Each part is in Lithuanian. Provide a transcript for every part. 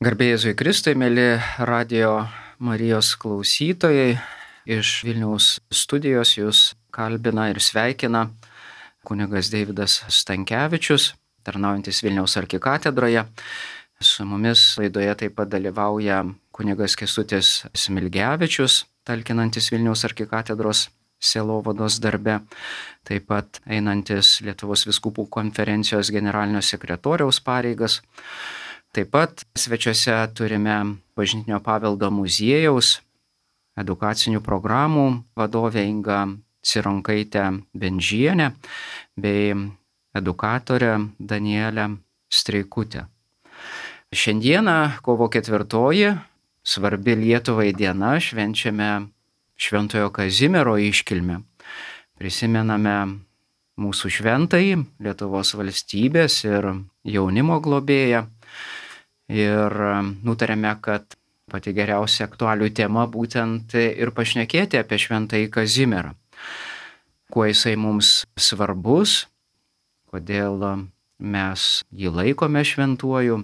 Garbė Jėzui Kristui, mėly Radio Marijos klausytojai, iš Vilniaus studijos jūs kalbina ir sveikina kunigas Deividas Stankevičius, tarnaujantis Vilniaus arkikatedroje. Su mumis laidoje taip pat dalyvauja kunigas Kęstutis Smilgevičius, talkinantis Vilniaus arkikatedros sielovados darbe, taip pat einantis Lietuvos vyskupų konferencijos generalinio sekretoriaus pareigas. Taip pat svečiuose turime Bažnytinio paveldo muziejaus edukacinių programų vadovę Ingą Cironkaitę Bendžienę bei edukatorę Danielę Streikutę. Šiandieną, kovo 4, svarbi Lietuvai diena, švenčiame Šventojo Kazimiero iškilmę. Prisimename mūsų šventąjį, Lietuvos valstybės ir jaunimo globėją. Ir nutarėme, kad pati geriausia aktualių tema būtent ir pašnekėti apie Šventąjį Kazimierą. Kuo jisai mums svarbus, kodėl mes jį laikome šventuoju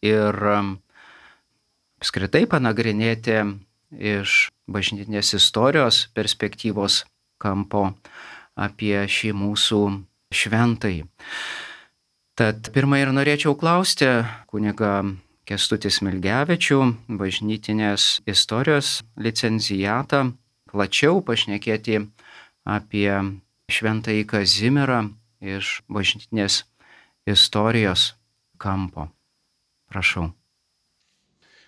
ir apskritai panagrinėti iš bažnytinės istorijos perspektyvos kampo apie šį mūsų šventąjį. Tad pirmą ir norėčiau klausti kunigą Kęstutį Smilgevičių, bažnytinės istorijos licencijatą, plačiau pašnekėti apie Šventąjį Kazimierą iš bažnytinės istorijos kampo. Prašau.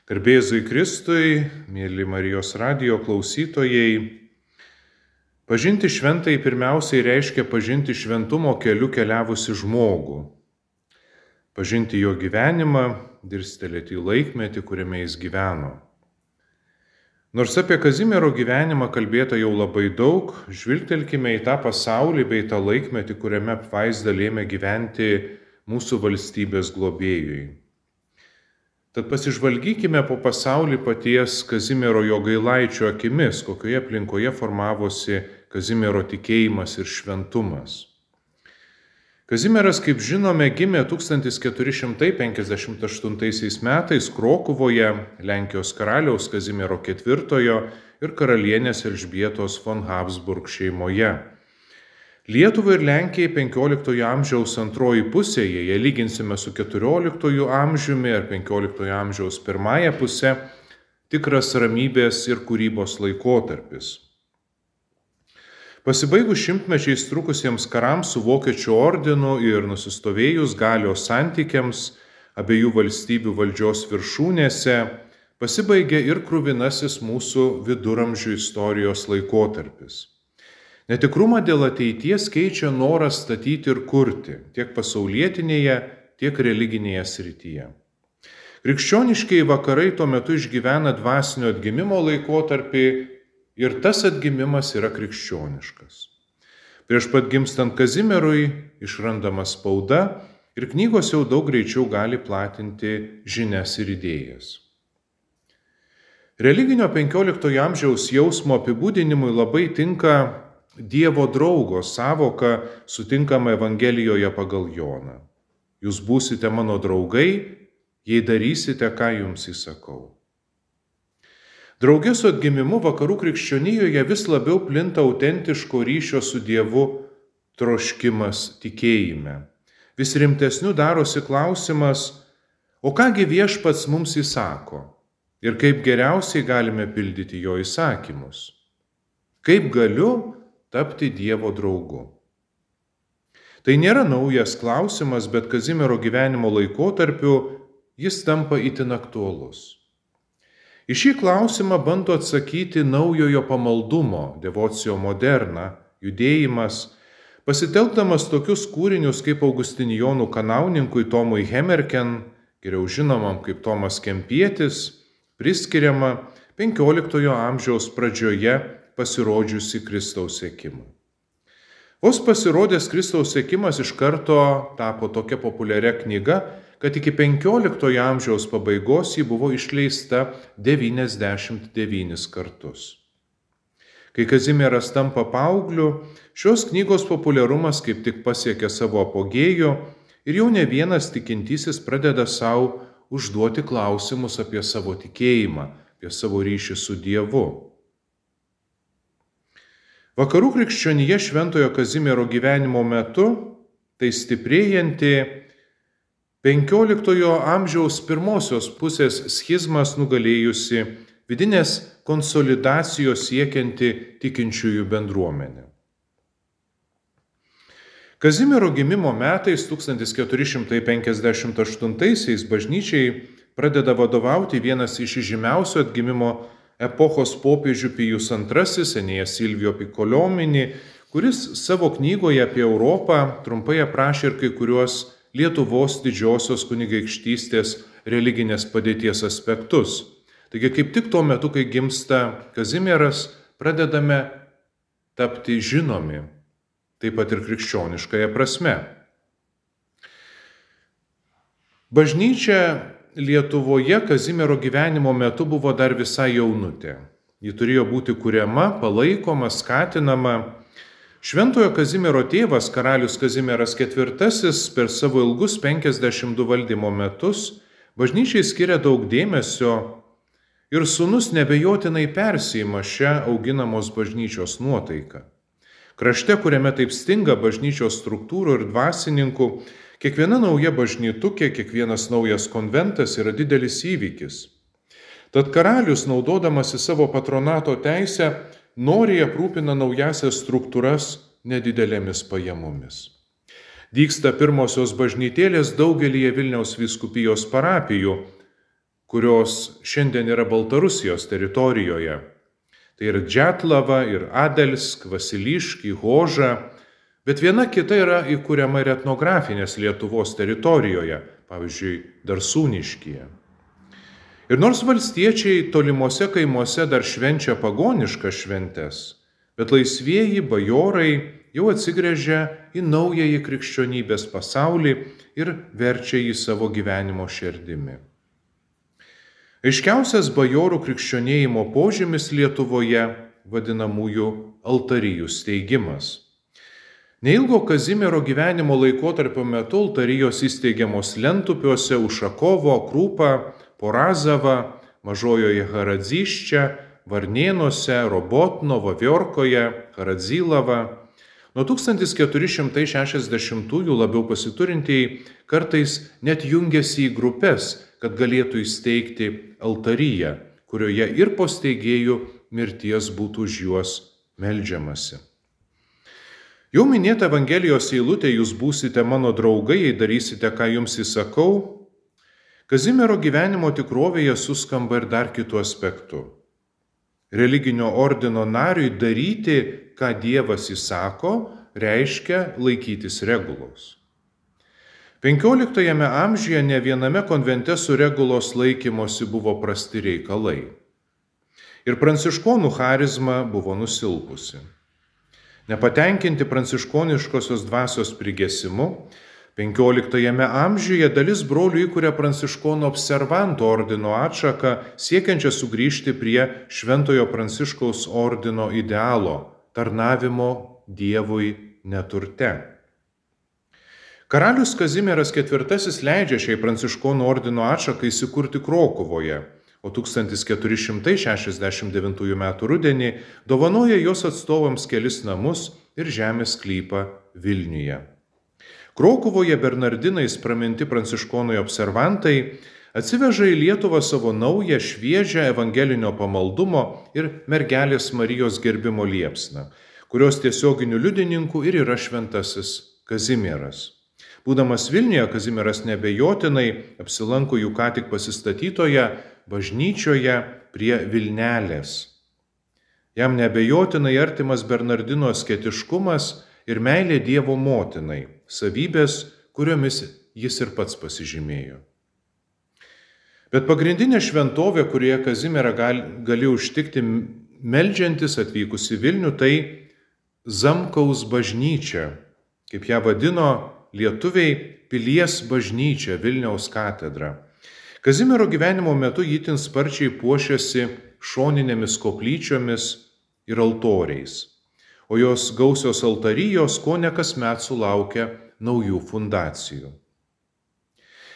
Garbė Jėzui Kristui, mėly Marijos radijo klausytojai, pažinti šventąjį pirmiausiai reiškia pažinti šventumo keliu keliavusi žmogų. Pažinti jo gyvenimą, dirstelėti į laikmetį, kuriame jis gyveno. Nors apie Kazimiero gyvenimą kalbėta jau labai daug, žvilgtelkime į tą pasaulį bei tą laikmetį, kuriame apvaizda lėmė gyventi mūsų valstybės globėjui. Tad pasižvalgykime po pasaulį paties Kazimiero Jogailaičio akimis, kokioje aplinkoje formavosi Kazimiero tikėjimas ir šventumas. Kazimieras, kaip žinome, gimė 1458 metais Krokuvoje Lenkijos karaliaus Kazimiero IV ir karalienės Elžbietos von Habsburg šeimoje. Lietuvai ir Lenkijai 15 amžiaus antroji pusėje, jei lyginsime su 14 amžiumi ar 15 amžiaus pirmąją pusę, tikras ramybės ir kūrybos laikotarpis. Pasibaigus šimtmečiais trukusiems karams su Vokiečių ordinu ir nusistovėjus galios santykiams abiejų valstybių valdžios viršūnėse, pasibaigė ir kruvinasis mūsų viduramžių istorijos laikotarpis. Netikrumą dėl ateities keičia noras statyti ir kurti, tiek pasaulietinėje, tiek religinėje srityje. Krikščioniškieji vakarai tuo metu išgyvena dvasinio atgimimo laikotarpį ir tas atgimimas yra krikščioniškas. Prieš pat gimstant Kazimierui išrandama spauda ir knygos jau daug greičiau gali platinti žinias ir idėjas. Religinio 15 amžiaus jausmo apibūdinimui labai tinka Dievo draugo sąvoka sutinkama Evangelijoje pagal Joną. Jūs būsite mano draugai, jei darysite, ką jums įsakau. Drauge su atgimimu vakarų krikščionijoje vis labiau plinta autentiško ryšio su Dievu troškimas tikėjime. Vis rimtesniu darosi klausimas, o kągi Viešpats mums įsako ir kaip geriausiai galime pildyti jo įsakymus. Kaip galiu tapti Dievo draugu? Tai nėra naujas klausimas, bet Kazimiero gyvenimo laikotarpiu jis tampa itin aktualus. Į šį klausimą bando atsakyti naujojo pamaldumo, devocio moderna, judėjimas, pasitelkdamas tokius kūrinius kaip Augustinijonų kanauninkui Tomui Hemerken, geriau žinomam kaip Tomas Kempietis, priskiriama 15 amžiaus pradžioje pasirodžiusi Kristaus sekimą. Vos pasirodęs Kristaus sekimas iš karto tapo tokia populiaria knyga, kad iki 15 amžiaus pabaigos ji buvo išleista 99 kartus. Kai Kazimieras tampa paaugliu, šios knygos populiarumas kaip tik pasiekia savo apogėjų ir jau ne vienas tikintysis pradeda savo užduoti klausimus apie savo tikėjimą, apie savo ryšį su Dievu. Vakarų krikščionija Šventojo Kazimiero gyvenimo metu tai stiprėjanti 15 amžiaus pirmosios pusės schizmas nugalėjusi vidinės konsolidacijos siekianti tikinčiųjų bendruomenė. Kazimiero gimimo metais 1458 bažnyčiai pradeda vadovauti vienas iš žymiausių atgimimo epochos popiežių Pijus II, Enėjas Silvio Piccolomini, kuris savo knygoje apie Europą trumpai aprašė ir kai kuriuos Lietuvos didžiosios kunigaikštystės religinės padėties aspektus. Taigi kaip tik tuo metu, kai gimsta Kazimieras, pradedame tapti žinomi, taip pat ir krikščioniškąja prasme. Bažnyčia Lietuvoje Kazimiero gyvenimo metu buvo dar visai jaunutė. Ji turėjo būti kuriama, palaikoma, skatinama. Šventojo Kazimiero tėvas, karalius Kazimieras IV, per savo ilgus 52 valdymo metus bažnyčiai skiria daug dėmesio ir sūnus nebejotinai persijima šią auginamos bažnyčios nuotaiką. Krašte, kuriame taip stinga bažnyčios struktūrų ir dvasininkų, kiekviena nauja bažnytukė, kiekvienas naujas konventas yra didelis įvykis. Tad karalius, naudodamasi savo patronato teisę, noriai aprūpina naujasias struktūras nedidelėmis pajamomis. Dygsta pirmosios bažnytėlės daugelyje Vilniaus vyskupijos parapijų, kurios šiandien yra Baltarusijos teritorijoje. Tai ir Džetlava, ir Adelsk, Vasiliški, Hoža, bet viena kita yra įkuriama ir etnografinės Lietuvos teritorijoje, pavyzdžiui, Darsūniškyje. Ir nors valstiečiai tolimuose kaimuose dar švenčia pagoniškas šventes, bet laisvieji bajorai jau atsigręžia į naująjį krikščionybės pasaulį ir verčia jį savo gyvenimo širdimi. Aiškiausias bajorų krikščionėjimo požymis Lietuvoje vadinamųjų altarijų steigimas. Neilgo Kazimiero gyvenimo laikotarpio metu altarijos įsteigiamos Lentupiuose, Ušakovo, Krūpa, Porazava, Mažojoje Haradzyšče, Varnėnuose, Robotno, Vaviorkoje, Haradzylava. Nuo 1460-ųjų labiau pasiturintieji kartais net jungiasi į grupės, kad galėtų įsteigti altariją, kurioje ir po steigėjų mirties būtų už juos meldžiamasi. Jau minėta Evangelijos eilutė, jūs būsite mano draugai, jei darysite, ką jums įsakau, Kazimiero gyvenimo tikrovėje suskamba ir dar kitų aspektų. Religinio ordino nariui daryti, ką Dievas įsako, reiškia laikytis regulos. 15 amžiuje ne viename konvente su regulos laikymosi buvo prasti reikalai. Ir pranciškonų charizma buvo nusilpusi. Nepatenkinti pranciškoniškosios dvasios prigesimu, 15 amžiuje dalis brolių įkuria pranciškonų observantų ordino atšaką, siekiančią sugrįžti prie Šventojo Pranciškaus ordino idealo – tarnavimo Dievui neturte. Karalius Kazimieras IV leidžia šiai pranciškonų ordino atšakai įsikurti Krokuvoje, o 1469 m. rudenį dovanoja jos atstovams kelis namus ir žemės sklypą Vilniuje. Krokuvoje bernardinais praminti pranciškonai observantai atsiveža į Lietuvą savo naują, šviežią evangelinio pamaldumo ir mergelės Marijos gerbimo liepsną, kurios tiesioginių liudininkų ir yra šventasis Kazimieras. Būdamas Vilniuje, Kazimieras nebejotinai apsilanko jų ką tik pasistatytoje bažnyčioje prie Vilnelės. Jam nebejotinai artimas bernardino asketiškumas ir meilė Dievo motinai, savybės, kuriomis jis ir pats pasižymėjo. Bet pagrindinė šventovė, kurioje Kazimierą gali užtikti meldžiantis atvykus į Vilnių, tai Zamkaus bažnyčia, kaip ją vadino lietuviai Pilies bažnyčia, Vilniaus katedra. Kazimiero gyvenimo metu itin sparčiai puošiasi šoninėmis koplyčiomis ir altoriais, o jos gausios altarijos kone kasmet sulaukia naujų fundacijų.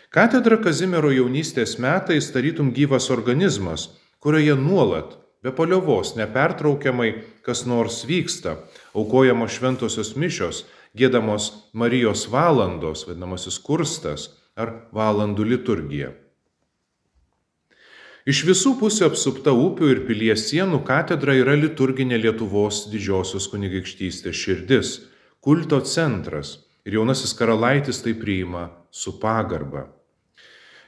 Katedra Kazimiero jaunystės metais tarytum gyvas organizmas, kurioje nuolat, be paliovos, nepertraukiamai kas nors vyksta, aukojamos šventosios mišios, giedamos Marijos valandos, vadinamasis kurstas ar valandų liturgija. Iš visų pusių apsupta upių ir pilies sienų katedra yra liturginė Lietuvos didžiosios kunigaikštystės širdis, kulto centras ir jaunasis karalaitis tai priima su pagarba.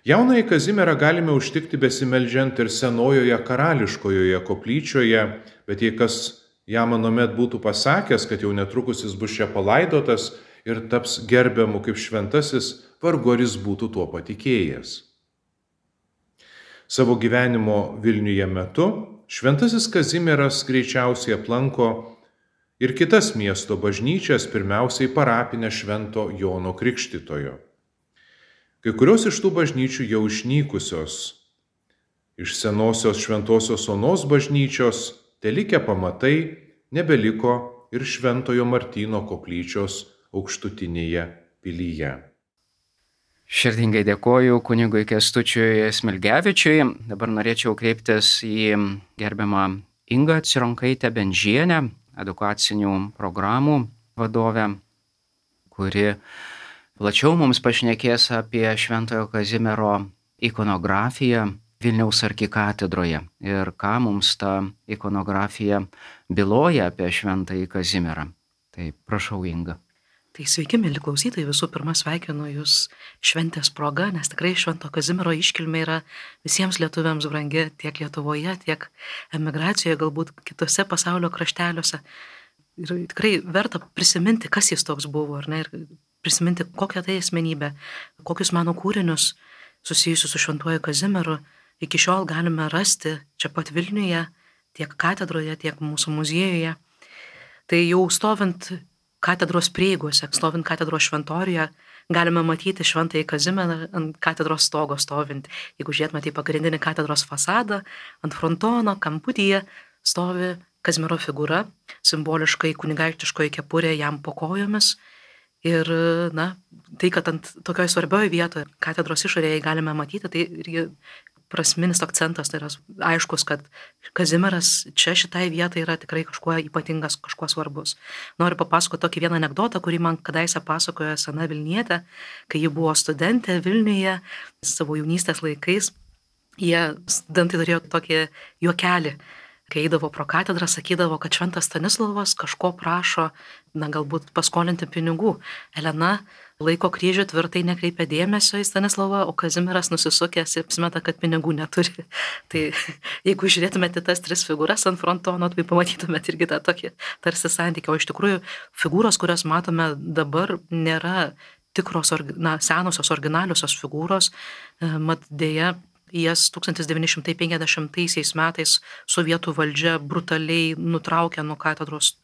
Jaunąjį Kazimierą galime užtikti besimeldžiant ir senojoje karališkojoje koplyčioje, bet jei kas jam anuomet būtų pasakęs, kad jau netrukus jis bus čia palaidotas ir taps gerbiamu kaip šventasis, vargu ar jis būtų tuo patikėjęs. Savo gyvenimo Vilniuje metu šventasis Kazimieras greičiausiai aplanko ir kitas miesto bažnyčias, pirmiausiai parapinę Švento Jono Krikštytojo. Kai kurios iš tų bažnyčių jau išnykusios. Iš senosios Šventosios Onos bažnyčios telikę pamatai, nebeliko ir Šventojo Martyno koplyčios aukštutinėje pilyje. Širdingai dėkoju kunigui Kęstučiui Smilgevičiui. Dabar norėčiau kreiptis į gerbiamą Ingą Cironkaitę Bendžienę, edukacinių programų vadovę, kuri plačiau mums pašnekės apie Šventojo Kazimiero ikonografiją Vilniaus arkikatedroje ir ką mums ta ikonografija byloja apie Šventąjį Kazimierą. Tai prašau, Inga. Tai sveiki, mėly klausytojai, visų pirma sveikinu Jūs šventės proga, nes tikrai Švento Kazimiero iškilmė yra visiems lietuviams brangi tiek Lietuvoje, tiek emigracijoje, galbūt kitose pasaulio krašteliuose. Ir tikrai verta prisiminti, kas jis toks buvo, ar ne, ir prisiminti, kokią tai asmenybę, kokius meno kūrinius susijusius su Šventuoju Kazimieru iki šiol galime rasti čia pat Vilniuje, tiek katedroje, tiek mūsų muziejuje. Tai jau stovint katedros prieigose, stovint katedros šventoriuje, galime matyti Šventąjį Kazimierą ant katedros stogo stovint. Jeigu žiūrėtume į pagrindinį katedros fasadą, ant frontono, kamputyje stovi Kazimiero figūra, simboliškai kunigaikštiškoji kepurė jam po kojomis. Ir, tai, kad ant tokioje svarbioje vietoje katedros išorėje galime matyti, tai irgi prasminis akcentas, tai yra aiškus, kad Kazimieras čia šitai vietai yra tikrai kažkuo ypatingas, kažkuo svarbus. Noriu papasakoti tokį vieną anekdotą, kurį man kadaise pasakojo sena Vilnietė, kai ji buvo studentė Vilniuje savo jaunystės laikais. Jie studentai turėjo tokį juokelį, kai eidavo pro katedrą, sakydavo, kad Šventas Stanislovas kažko prašo, galbūt paskolinti pinigų. Elena laiko kryžių, tvirtai nekreipia dėmesio į Stanislovą, o Kazimieras nusisukęs ir apsimeta, kad pinigų neturi. Tai jeigu žiūrėtumėte tas tris figūras ant frontono, tai pamatytumėte irgi tą tokį tarsi santykį. O iš tikrųjų figūros, kurias matome dabar, nėra tikros, senosios, originaliosios figūros. Mat dėja, jas 1950 metais sovietų valdžia brutaliai nutraukė nuo katedros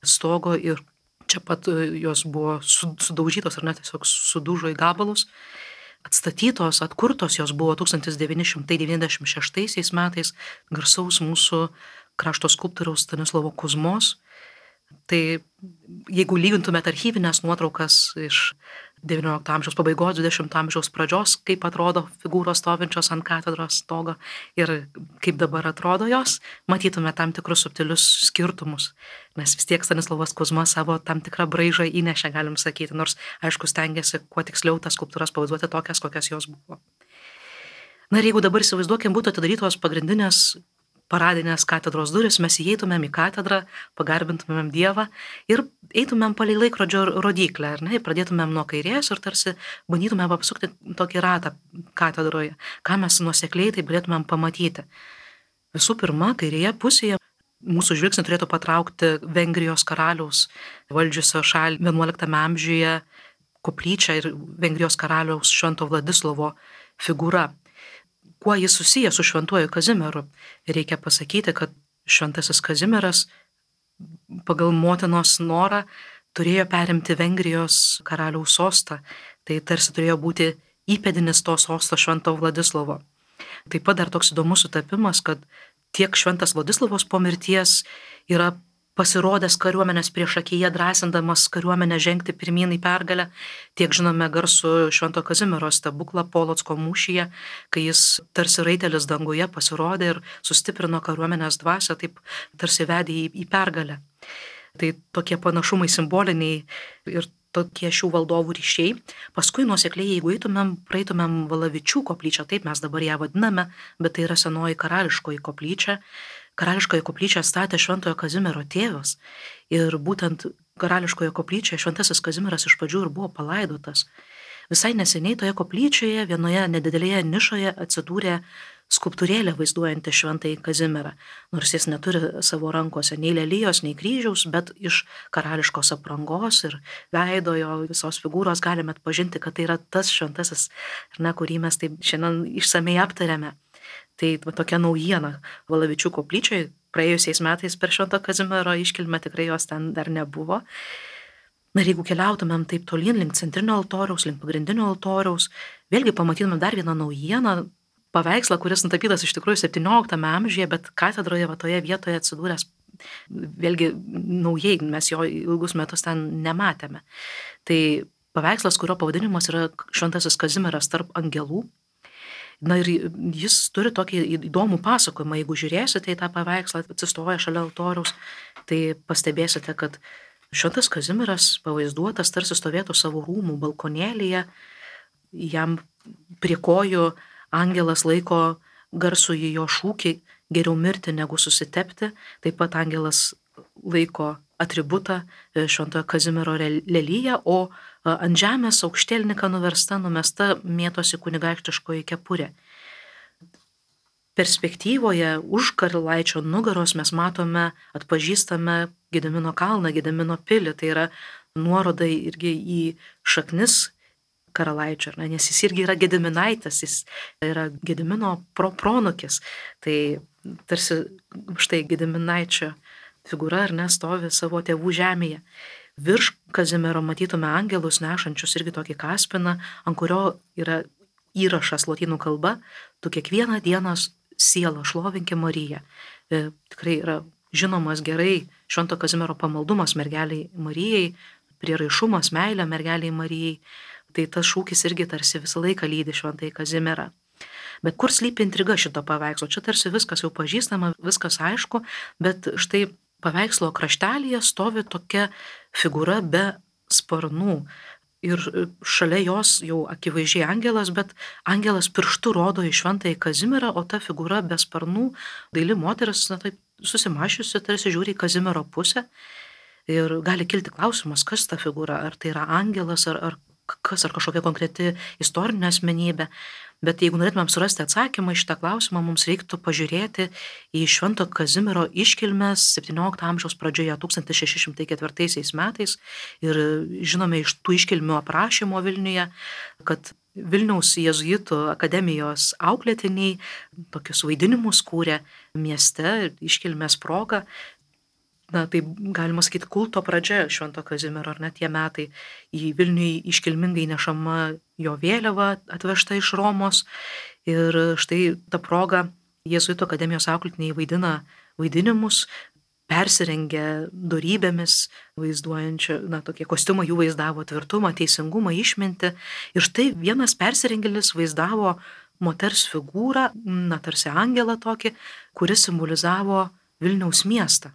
stogo ir čia pat jos buvo sudaužytos ar net tiesiog sudužo į gabalus. Atstatytos, atkurtos jos buvo 1996 metais garsaus mūsų krašto skulptoriaus Stanislovo Kuzmos. Tai jeigu lygintumėte archyvinės nuotraukas iš XIX amžiaus pabaigos, XX amžiaus pradžios, kaip atrodo figūros stovinčios ant katedros stogo ir kaip dabar atrodo jos, matytume tam tikrus subtilius skirtumus. Nes vis tiek Stanislovas Kuzma savo tam tikrą braižą įnešė, galim sakyti, nors aišku stengiasi kuo tiksliau tas skulptūras pavaizduoti tokias, kokias jos buvo. Ir jeigu dabar įsivaizduokim, būtų atidarytos pagrindinės paradinės katedros duris, mes įeitumėm į katedrą, pagarbintumėm Dievą ir eitumėm palei laikrodžio rodyklę, ar ne, pradėtumėm nuo kairės ir tarsi bandytumėm apsukti tokį ratą katedroje, ką mes nuosekliai tai galėtumėm pamatyti. Visų pirma, kairėje pusėje mūsų žvilgsnį turėtų patraukti Vengrijos karaliaus valdžiusio šalį 11 amžiuje koplyčią ir Vengrijos karaliaus Švento Vladislovo figūra. Kuo jis susijęs su Šventuoju Kazimieru? Reikia pasakyti, kad Šventasis Kazimieras pagal motinos norą turėjo perimti Vengrijos karaliaus sostą. Tai tarsi turėjo būti įpėdinis to sosto Švento Vladislovo. Taip pat dar toks įdomus sutapimas, kad tiek Šventas Vladislovas po mirties yra pasirodęs kariuomenės priešakyje, drąsindamas kariuomenę žengti pirmyn į pergalę. Tiek žinome garsų Švento Kazimiero stebuklą Polocko mūšyje, kai jis tarsi raitelis danguje pasirodė ir sustiprino kariuomenės dvasią, taip tarsi vedė į pergalę. Tai tokie panašumai simboliniai ir tokie šių valdovų ryšiai. Paskui nuosekliai, jeigu praeitumėm Valavičių koplyčią, taip mes dabar ją vadiname, bet tai yra senoji karališkoji koplyčia. Karališkoje koplyčią statė Šventojo Kazimiero tėvas ir būtent karališkoje koplyčioje Šventasis Kazimieras iš pradžių ir buvo palaidotas. Visai neseniai toje koplyčioje vienoje nedidelėje nišoje atsidūrė skulptūrėlė vaizduojanti Šventąjį Kazimierą, nors jis neturi savo rankose nei lelijos, nei kryžiaus, bet iš karališkos aprangos ir veido jo visos figūros galime atpažinti, kad tai yra tas šventasis, kurį mes taip šiandien išsamei aptarėme. Tai tokia naujiena Valavičių koplyčioje, praėjusiais metais per Švento Kazimiero iškilmę tikrai jos ten dar nebuvo. Na ir jeigu keliautumėm taip tolyn link centrinio altoriaus, link pagrindinio altoriaus, vėlgi pamatytumėm dar vieną naujieną, paveikslą, kuris nutapytas iš tikrųjų 17 amžiuje, bet katedroje toje vietoje atsidūręs vėlgi naujai, mes jo ilgus metus ten nematėme. Tai paveikslas, kurio pavadinimas yra Šventasis Kazimieras tarp angelų. Na ir jis turi tokį įdomų pasakojimą, jeigu žiūrėsite į tą paveikslą, atsistoja šalia altoriaus, tai pastebėsite, kad Šventas Kazimieras pavaizduotas tarsi stovėtų savo rūmų balkonėlyje, jam prie kojų angelas laiko garsų į jo šūkį geriau mirti negu susitepti, taip pat angelas laiko atributą Šventojo Kazimiero leliją, o ant žemės aukštielninka nuversta, numesta mėtosi kunigaikštiškoji kepurė. Perspektyvoje už Karalaičio nugaros mes matome, atpažįstame Gedimino kalną, Gedimino pilį, tai yra nuoroda irgi į šaknis Karalaičio, nes jis irgi yra Gediminaitis, jis yra Gedimino pronukis, tai tarsi štai Gediminaičio figūra stovi savo tėvų žemėje. Virš Kazimiero matytume angelus nešančius irgi tokį kaspiną, ant kurio yra įrašas lotynų kalba, tu kiekvieną dieną sielą šlovinki Mariją. Tikrai yra žinomas gerai Švento Kazimiero pamaldumas mergeliai Marijai, prieraišumas, meilė mergeliai Marijai. Tai tas šūkis irgi tarsi visą laiką lydi Šventąjį Kazimierą. Bet kur slypi intriga šito paveikslo? Čia tarsi viskas jau pažįstama, viskas aišku, bet štai paveikslo kraštelyje stovi tokia figūra be sparnų. Ir šalia jos jau akivaizdžiai angelas, bet angelas pirštu rodo į Šventąjį Kazimierą, o ta figūra be sparnų, daili moteris, taip susimašiusi, tarsi žiūri į Kazimiero pusę. Ir gali kilti klausimas, kas ta figūra, ar tai yra angelas, ar kas, ar kažkokia konkreti istorinė asmenybė. Bet jeigu norėtumėm surasti atsakymą į šitą klausimą, mums reiktų pažiūrėti į Švento Kazimiero iškilmes 17 amžiaus pradžioje 1604 metais. Ir žinome iš tų iškilmių aprašymo Vilniuje, kad Vilniaus jėzuitų akademijos auklėtiniai tokius vaidinimus kūrė mieste iškilmės proga. Tai galima sakyti kulto pradžia Švento Kazimiero, ar ne tie metai. Į Vilnių iškilmingai nešama jo vėliava atvežta iš Romos. Ir štai ta proga jėzuitų akademijos auklėtiniai vaidina vaidinimus, persirengia dorybėmis, vaizduojančia, tokie kostiumai jų vaizdavo tvirtumą, teisingumą, išmintį. Ir štai vienas persirengėlis vaizdavo moters figūrą, tarsi angelą tokį, kuris simbolizavo Vilniaus miestą.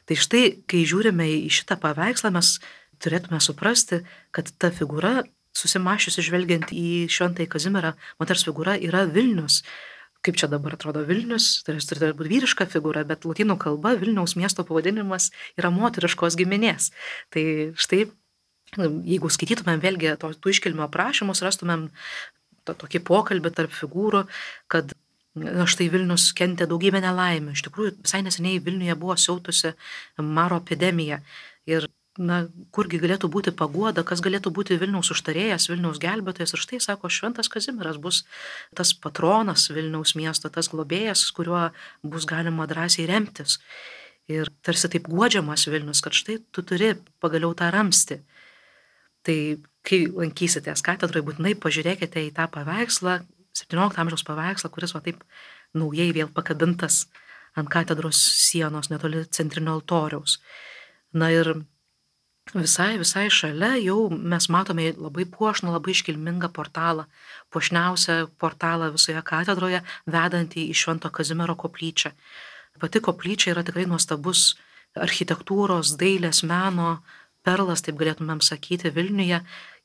Tai štai, kai žiūrime į šitą paveikslą, mes turėtume suprasti, kad ta figūra, susimašiusi žvelgiant į Šventąjį Kazimierą, moters figūra yra Vilnius. Kaip čia dabar atrodo Vilnius, tai turi būti vyriška figūra, bet lotynų kalba Vilniaus miesto pavadinimas yra moteriškos giminės. Tai štai, jeigu skaitytumėm vėlgi tų iškilmių aprašymus, rastumėm tokį pokalbį tarp figūrų, kad štai Vilnius kentė daugybę nelaimių. Iš tikrųjų, visai neseniai Vilniuje buvo siautusi maro epidemija. Ir kurgi galėtų būti paguoda, kas galėtų būti Vilniaus užtarėjas, Vilniaus gelbėtojas. Ir štai, sako, Šventas Kazimieras bus tas patronas Vilniaus miesto, tas globėjas, kuriuo bus galima drąsiai remtis. Ir tarsi taip guodžiamas Vilnius, kad štai tu turi pagaliau tą ramstį. Tai kai lankysitės katedroje, būtinai pažiūrėkite į tą paveikslą, 17 amžiaus paveikslą, kuris taip naujai vėl pakabintas ant katedros sienos netoli centrinio altoriaus. Na ir visai šalia jau mes matome labai puošnų, labai iškilmingą portalą, puošniausią portalą visoje katedroje, vedantį į Švento Kazimiero koplyčią. Pati koplyčia yra tikrai nuostabus architektūros, dailės, meno perlas, taip galėtumėm sakyti, Vilniuje,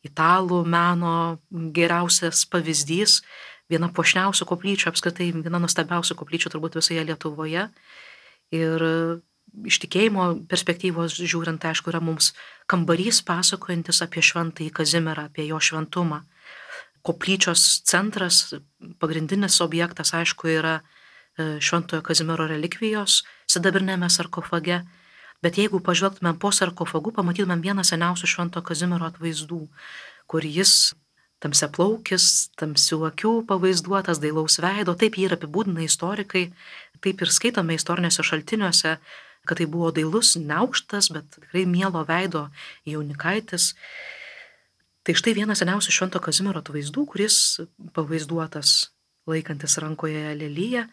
italų meno geriausias pavyzdys, viena puošniausių koplyčių, apskritai viena nuostabiausių koplyčių turbūt visoje Lietuvoje. Ir iš tikėjimo perspektyvos žiūrint, aišku, yra mums kambarys pasakojantis apie Šventąjį Kazimierą, apie jo šventumą. Koplyčios centras, pagrindinis objektas, aišku, yra Šventojo Kazimiero relikvijos sidabrinėme sarkofage. Bet jeigu pažvelgtumėm po sarkofagu, pamatytumėm vieną seniausių Švento Kazimiero atvaizdų, kur jis tamsiaplaukis, tamsių akių pavaizduotas, dailaus veido, taip jį ir apibūdina istorikai, taip ir skaitome istoriniuose šaltiniuose, kad tai buvo dailus, neaukštas, bet tikrai mielo veido jaunikaitis. Tai štai vienas seniausių Švento Kazimiero atvaizdų, kuris pavaizduotas laikantis rankoje leliją.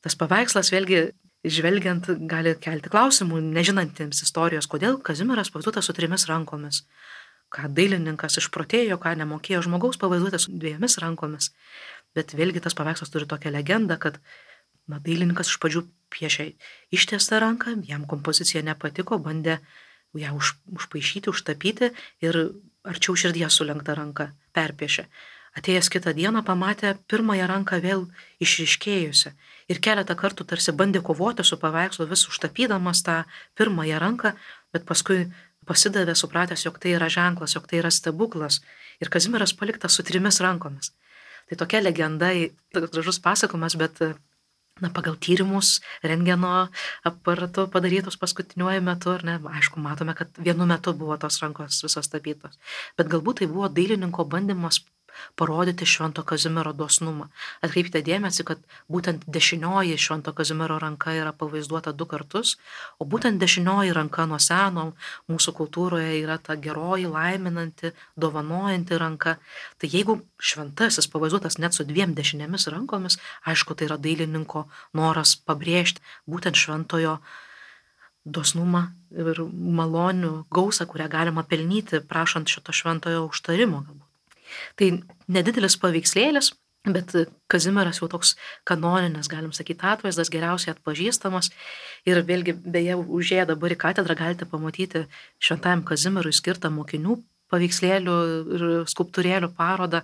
Tas paveikslas vėlgi žvelgiant gali kelti klausimų, nežinantiems istorijos, kodėl Kazimieras pavaizduotas su 3 rankomis. Ką dailininkas išprotėjo, ką nemokėjo žmogaus pavaizduotas su 2 rankomis. Bet vėlgi tas paveikslas turi tokią legendą, kad dailininkas iš pradžių piešė ištiestą ranką, jam kompozicija nepatiko, bandė ją užpaišyti, užtapyti ir arčiau širdies sulenktą ranką perpiešė. Atėjęs kitą dieną pamatė pirmąją ranką vėl išryškėjusią ir keletą kartų tarsi bandė kovoti su paveikslu, vis užtapydamas tą pirmąją ranką, bet paskui pasidavė supratęs, jog tai yra ženklas, jog tai yra stebuklas ir Kazimieras paliktas su 3 rankomis. Tai tokia legenda, toks gražus pasakojimas, bet pagal tyrimus rentgeno aparatu padarytus paskutiniuoju metu, aišku, matome, kad vienu metu buvo tos rankos visos tapytos, bet galbūt tai buvo dailininko bandymas parodyti Švento Kazimiero dosnumą. Atkreipkite dėmesį, kad būtent dešinioji Švento Kazimiero ranka yra pavaizduota 2 kartus, o būtent dešinioji ranka nuo seno mūsų kultūroje yra ta geroji, laiminanti, dovanojanti ranka. Tai jeigu šventasis pavaizduotas net su 2 dešinėmis rankomis, aišku, tai yra dailininko noras pabrėžti būtent šventojo dosnumą ir malonių gausą, kurią galima pelnyti prašant šito šventojo užtarimo galbūt. Tai nedidelis paveikslėlis, bet Kazimieras jau toks kanoninis, galim sakyti, atvaizdas, geriausiai atpažįstamas. Ir vėlgi, beje, užėję dabar į katedrą galite pamatyti Šventajam Kazimierui skirtą mokinių paveikslėlių ir skulptūrėlių parodą.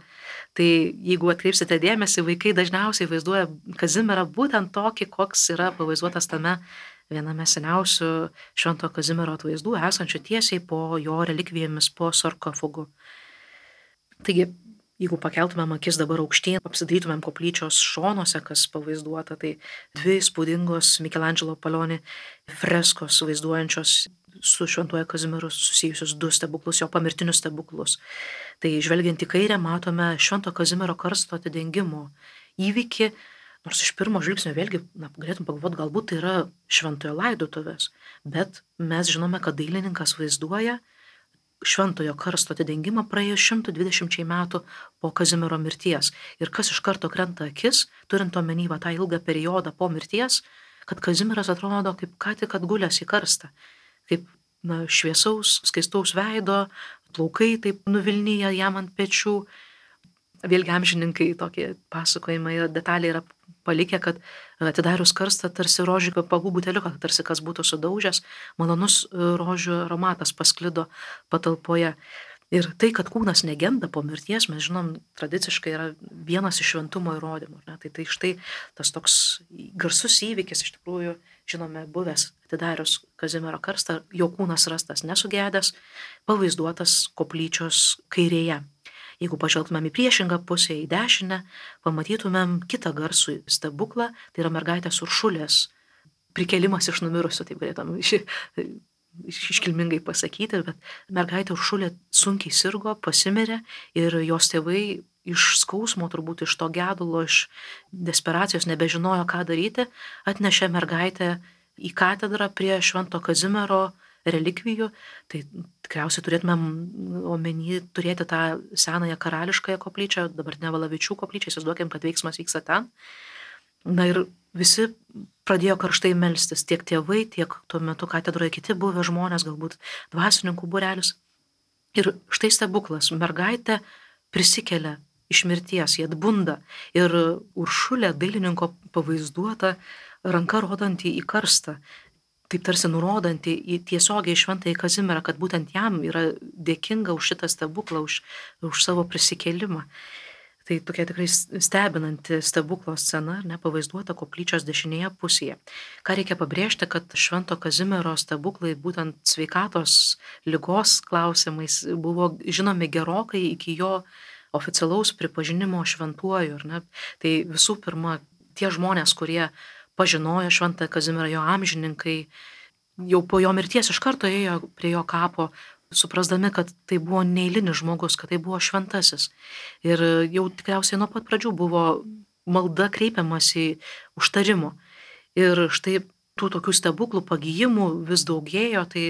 Tai jeigu atkreipsite dėmesį, vaikai dažniausiai vaizduoja Kazimierą būtent tokį, koks yra pavaizduotas tame viename seniausių Švento Kazimiero atvaizdų, esančių tiesiai po jo relikvijomis, po sarkofagu. Taigi, jeigu pakeltumėm akis dabar aukštyn, apsidairytumėm koplyčios šonuose, kas pavaizduota, tai 2 įspūdingos Michelangelo Paloni freskos vaizduojančios su Šventuoju Kazimieru susijusius 2 stebuklus, jo pamirtinius stebuklus. Tai žvelgiant į kairę matome Švento Kazimiero karsto atidengimo įvykį, nors iš pirmo žvilgsnio vėlgi galėtum pagalvoti, galbūt tai yra šventojo laidotuvės, bet mes žinome, kad dailininkas vaizduoja šventojo karsto atidengimą praėjus 120 metų po Kazimiero mirties. Ir kas iš karto krenta akis, turint omeny tą ilgą periodą po mirties, kad Kazimieras atrodo kaip ką tik atgulęs į karstą, kaip šviesaus, skaistaus veido, plaukai taip nuvilnyja jam ant pečių. Vėlgi amžininkai tokie pasakojimai detaliai yra palikę, kad atidarius karstą tarsi rožių kvepalų buteliuką, tarsi kas būtų sudaužęs, malonus rožių aromatas pasklido patalpoje. Ir tai, kad kūnas negenda po mirties, mes žinom, tradiciškai yra vienas iš šventumo įrodymų. Tai štai tas toks garsus įvykis, iš tikrųjų, žinome, buvęs atidarius Kazimiero karstą, jo kūnas rastas nesugedęs, pavaizduotas koplyčios kairėje. Jeigu pažvelgtumėm į priešingą pusę, į dešinę, pamatytumėm kitą garsų stebuklą, tai yra mergaitės Uršulės prikėlimas iš numirusių, taip galėtum iškilmingai pasakyti, bet mergaitė Uršulė sunkiai sirgo, pasimirė ir jos tėvai iš skausmo, turbūt iš to gedulo, iš desperacijos nebežinojo, ką daryti, atnešė mergaitę į katedrą prie Švento Kazimiero relikvijų. Tai tikriausiai turėtumėm omeny turėti tą senąją karališkąją koplyčią, dabartinę Valavičių koplyčią, įsivaizduokim, kad veiksmas vyksta ten. Na ir visi pradėjo karštai melstis tiek tėvai, tiek tuo metu katedroje kiti buvę žmonės, galbūt dvasininkų būrelis. Ir štai stebuklas, mergaitė prisikelia iš mirties, jie atbunda ir Uršulė, dailininko pavaizduota, ranka rodanti į karstą, taip tarsi nurodanti į tiesiogiai šventąjį Kazimierą, kad būtent jam yra dėkinga už šitą stebuklą, už savo prisikėlimą. Tai tokia tikrai stebinanti stebuklo scena, nepavaizduota koplyčios dešinėje pusėje. Ką reikia pabrėžti, kad švento Kazimiero stebuklai būtent sveikatos ligos klausimais buvo žinomi gerokai iki jo oficialaus pripažinimo šventuoju. Tai visų pirma, tie žmonės, kurie pažinojo šventą Kazimierą, jo amžininkai, jau po jo mirties iš karto ėjo prie jo kapo, suprasdami, kad tai buvo neeilinis žmogus, kad tai buvo šventasis. Ir jau tikriausiai nuo pat pradžių buvo malda kreipiamas į užtarimo. Ir štai tų tokių stebuklų pagyjimų vis daugėjo, tai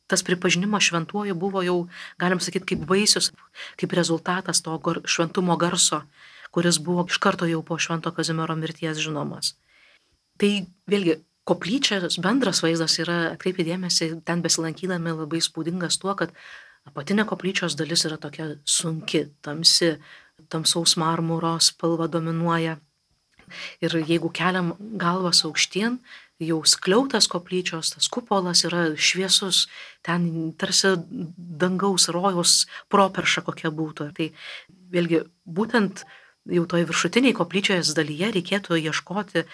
tas pripažinimas šventuoju buvo jau, galim sakyti, kaip vaisius, kaip rezultatas to šventumo garso, kuris buvo iš karto jau po švento Kazimiero mirties žinomas. Tai vėlgi, koplyčios bendras vaizdas yra, atkreipti dėmesį, ten besilankydami labai spūdingas tuo, kad apatinė koplyčios dalis yra tokia sunki, tamsi, tamsaus marmuro spalva dominuoja. Ir jeigu keliam galvas aukštyn, jau skliautas koplyčios, tas kupolas yra šviesus, ten tarsi dangaus rojaus properša kokia būtų. Tai vėlgi, būtent jau toj viršutiniai koplyčios dalyje reikėtų ieškoti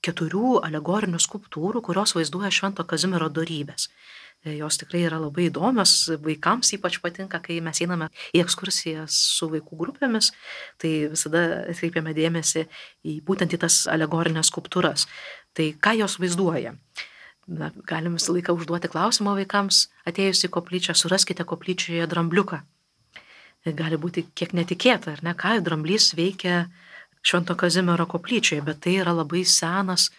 4 alegorinių skulptūrų, kurios vaizduoja švento Kazimiero dorybės. Jos tikrai yra labai įdomios, vaikams ypač patinka, kai mes einame į ekskursijas su vaikų grupėmis, tai visada atkreipiame dėmesį būtent į tas alegorinės skulptūras. Tai ką jos vaizduoja? Galim visą laiką užduoti klausimą vaikams, atėjus į koplyčią, suraskite koplyčioje drambliuką. Gali būti kiek netikėta, ar ne, ką dramblys veikia švento Kazimiero koplyčioje, bet tai yra labai senas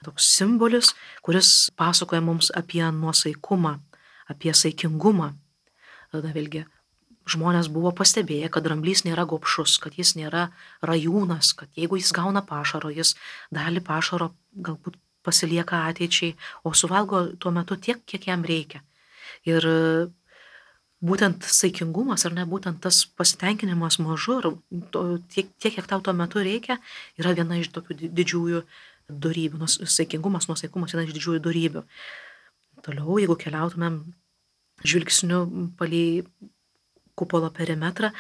toks simbolis, kuris pasakoja mums apie nuosaikumą, apie saikingumą. Tada vėlgi žmonės buvo pastebėję, kad dramblys nėra gobšus, kad jis nėra rajūnas, kad jeigu jis gauna pašaro, jis dalį pašaro galbūt pasilieka ateičiai, o suvalgo tuo metu tiek, kiek jam reikia. Ir būtent saikingumas, ar ne, būtent tas pasitenkinimas mažu, tiek, kiek tau tuo metu reikia, yra viena iš tokių didžiųjų dorybių. Saikingumas, nuosaikumas viena iš didžiųjų dorybių. Toliau, jeigu keliautumėm žvilgsniu palei kupolo perimetrą,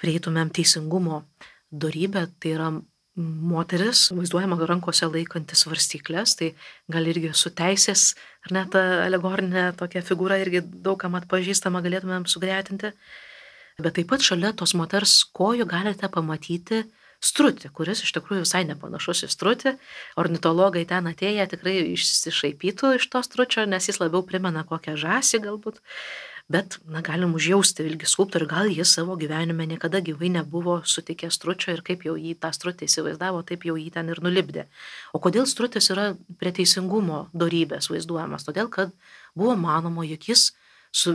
prieitumėm teisingumo dorybę, tai yra moteris, vaizduojama rankose laikantis svarstyklės, tai gal irgi su teisės, ar ne, ta alegorinė tokia figūra irgi daugam atpažįstama galėtumėm sugretinti. Bet taip pat šalia tos moters kojų galite pamatyti strutį, kuris iš tikrųjų visai nepanašus į strutį. Ornitologai ten atėję tikrai išsišaipytų iš to stručio, nes jis labiau primena kokią žąsį galbūt. Bet, galim užjausti ilgi skulptorių, gal jis savo gyvenime niekada gyvai nebuvo sutikęs stručio ir kaip jau jį tą strutį įsivaizdavo, taip jau jį ten ir nulipdė. O kodėl strutis yra prie teisingumo dorybės vaizduojamas? Todėl, kad buvo manoma, jog jis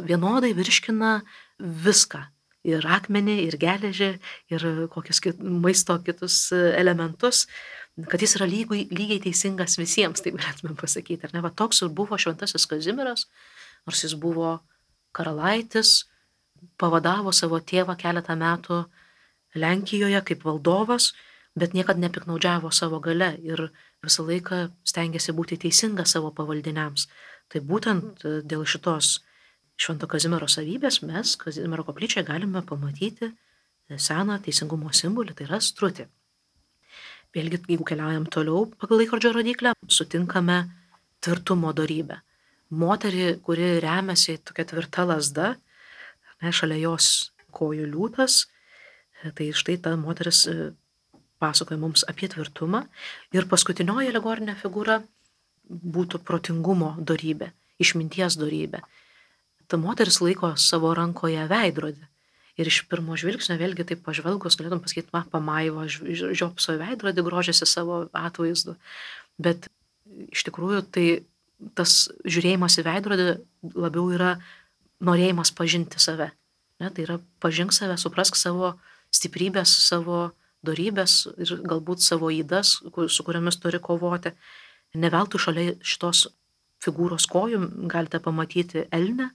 vienodai virškina viską. Ir akmenį, ir geležį, ir kokius maisto kitus elementus, kad jis yra lygiai teisingas visiems, taip galėtume pasakyti. Ar ne? Va, toks ir buvo šventasis Kazimieras, nors jis buvo karalaitis, pavadavo savo tėvą keletą metų Lenkijoje kaip valdovas, bet niekad nepiknaudžiavo savo gale ir visą laiką stengiasi būti teisingas savo pavaldiniams. Tai būtent dėl šitos švento Kazimiero savybės mes Kazimiero koplyčioje galime pamatyti seną teisingumo simbolį, tai yra strutį. Vėlgi, jeigu keliaujam toliau pagal laikrodžio rodiklę, sutinkame tvirtumo dorybę. Moterį, kuri remiasi tokia tvirta lazda, šalia jos kojų liūtas, tai štai ta moteris pasakoja mums apie tvirtumą. Ir paskutinioji alegorinė figūra būtų protingumo dorybė, išminties dorybė. Ta moteris laiko savo rankoje veidrodį. Ir iš pirmo žvilgsnio vėlgi taip pažvelgus galėtum pasakyti, pamaivo, žiopso veidrodį, grožėsi savo atvaizdu. Bet iš tikrųjų tai tas žiūrėjimas į veidrodį labiau yra norėjimas pažinti save. Ne? Tai yra pažink save, suprask savo stiprybės, savo dorybės ir galbūt savo ydas, su kuriomis turi kovoti. Ne veltui šalia šitos figūros kojų galite pamatyti elnę.